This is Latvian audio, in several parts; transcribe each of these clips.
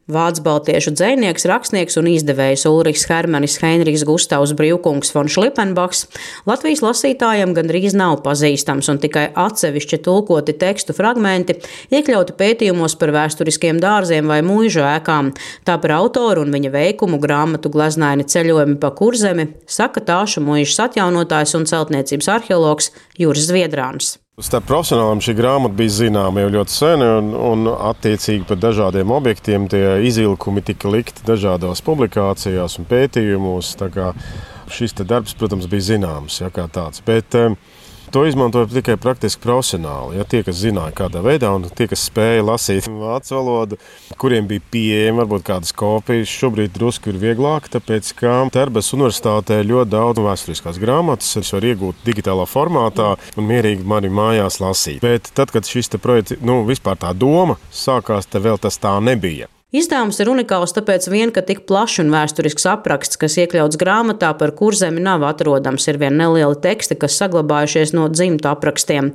Vācu baltiešu dzejnieks, rakstnieks un izdevējs Ulrichs Hermanis Heinrichs Gustavs Brīvkungs von Šlipenbachs Latvijas lasītājiem gandrīz nav pazīstams, un tikai atsevišķi tulkoti tekstu fragmenti iekļauti pētījumos par vēsturiskiem dārziem vai muižu ēkām. Tā par autoru un viņa veikumu grāmatu Gleznaini ceļojumi pa Kurzemi saka Tāšu muižas atjaunotājs un celtniecības arheologs Juris Zviedrāns. Starp profesionāliem šī grāmata bija zināma jau ļoti sen, un attiecīgi par dažādiem objektiem tie izvilkumi tika likti dažādās publikācijās un pētījumos. Tā kā šis darbs, protams, bija zināms, kā tāds. Bet to izmantoja tikai praktiski profesionāli. Tie, kas zināja kādā veidā, un tie, kas spēja lasīt vācu valodu, kuriem bija pieejami varbūt kādas kopijas, šobrīd drusku ir vieglāk, tāpēc, ka Tarbes universitātē ļoti daudz vēsturiskās grāmatas es varu iegūt digitālā formātā un mierīgi mani mājās lasīt. Bet tad, kad šis projekts, vispār tā doma sākās, tad vēl tas tā nebija. Izdevums ir unikāls tāpēc vien, ka tik plašs un vēsturisks apraksts, kas iekļauts grāmatā par Kurzemi, nav atrodams. Ir vien nelieli teksti, kas saglabājušies no dzimtu aprakstiem.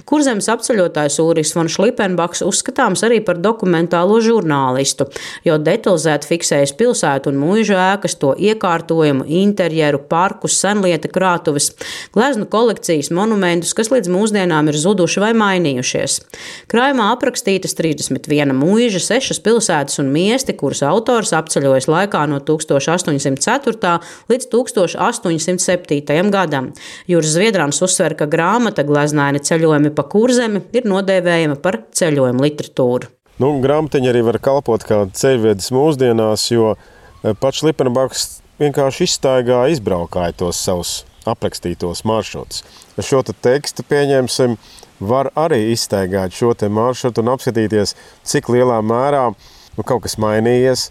Kurzemes apceļotājs Ulrichs von Šlipenbachs uzskatāms arī par dokumentālo žurnālistu, jo detalizēti fiksējis pilsētu un muižu ēkas, to iekārtojumu, interjeru, parkus, senlieta krātuves, gleznu kolekcijas, monumentus, kas līdz mūsdienām ir zuduši vai mainījušies. Krājumā aprakstītas 31 muiža, 6 pilsētas un miesti, kurus autors apceļojas laikā no 1804. līdz 1807. gadam. Juris Zviedrāns uzsver, ka grāmata Gleznaini ceļojumi pa Kurzemi ir nodēvējama par ceļojumu literatūru. Grāmatiņa arī var kalpot kā ceļvedis mūsdienās, jo pats Šlipenbachs vienkārši izstaigāja, izbraukāja tos savus aprakstītos maršrutus. Ar šo tekstu, pieņemsim, var arī izstaigāt šo maršrutu un apskatīties, cik lielā mērā kaut kas mainījies,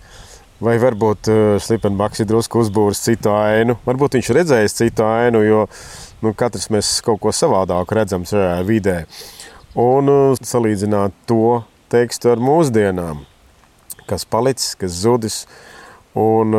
vai varbūt Šlipenbachs ir drusku uzbūris citu ainu. Varbūt viņš redzējis citu ainu, jo katrs mēs kaut ko savādāku redzam šajā vidē. Un salīdzināt to tekstu ar mūsdienām, kas palicis, kas zudis, un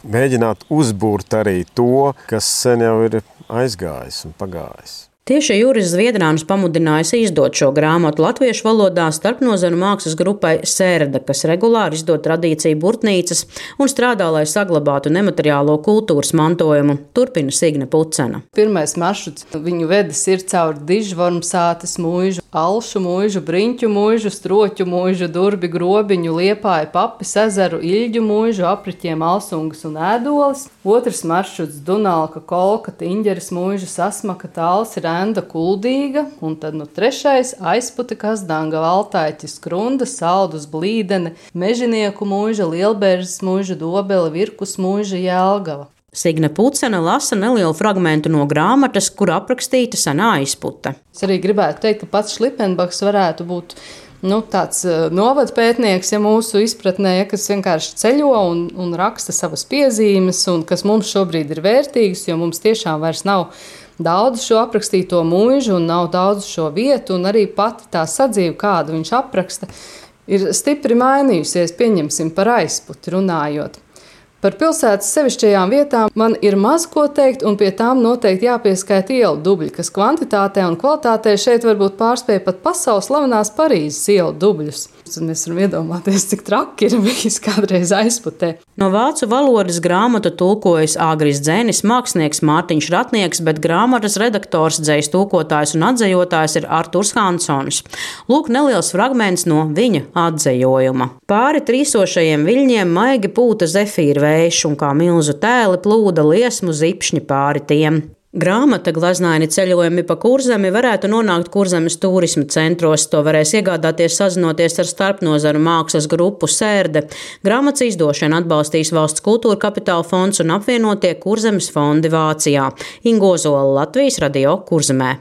mēģināt uzbūrt arī to, kas sen jau ir aizgājis un pagājis. Tieši Juris Zviedrāns pamudinājis izdot šo grāmatu latviešu valodā starpnozaru mākslas grupai Sērda, kas regulāri izdod tradīciju burtnīcas un strādā, lai saglabātu nemateriālo kultūras mantojumu, turpina Signe Pucena. Pirmais maršruts viņu vedis ir caur Dižvormsātes muižu, Alšu muižu, Briņķu muižu, Stroķu muižu, Durbi, Grobiņu, Liepāju, Papis ezeru, Iļģu muižu, apriķiem Alsungas un Ēdolis. Otrs maršruts Dunalka, Kolka, Tiņģeres muižu, Sasmaka, Tāls, Renda, Kuldīga, un tad trešais Aizputi, Kazdanga, Valtaiķis, Krunda, Saldus, Blīdene, Mežinieku muiža, Lielbērzes muiža, Dobele, Virkus muiža, Jelgava. Signe Pucena lasa nelielu fragmentu no grāmatas, kur aprakstīta senā Aizputa. Es arī gribētu teikt, ka pats Šlipenbachs varētu būt tāds novadpētnieks, mūsu izpratnē, kas vienkārši ceļo un raksta savas piezīmes, un kas mums šobrīd ir vērtīgas, jo mums tiešām vairs nav daudz šo aprakstīto muižu un nav daudz šo vietu, un arī pati tā sadzīve, kādu viņš apraksta, ir stipri mainījusies, pieņemsim par Aizputi runājot. Par pilsētas sevišķajām vietām man ir maz ko teikt, un pie tām noteikti jāpieskaita ielu dubļi, kas kvantitātē un kvalitātē šeit varbūt pārspēja pat pasaules slavenās Parīzes ielu dubļus. Mēs varam iedomāties, cik traki ir bijis kādreiz Aizputē. No vācu valodas grāmatu tulkojas Āgris Dzenis, mākslinieks Mārtiņš Ratnieks, bet grāmatas redaktors, dzejas tulkotājs un atzejotājs ir Arturs Hansons. Lūk, neliels fragments no viņa atzejojuma. Pāri trīsošajiem viļņiem maigi pūta zefīra vējš, un kā milzu tēli plūda liesmu zipšņi pāri tiem. Grāmata Gleznaini ceļojumi pa Kurzemi varētu nonākt Kurzemes turisma centros. To varēs iegādāties sazinoties ar starpnozaru mākslas grupu Sērde. Grāmatas izdošanu atbalstīs Valsts kultūra kapitāla fonds un apvienotie Kurzemes fondi Vācijā. Ingo Zola, Latvijas radio Kurzemē.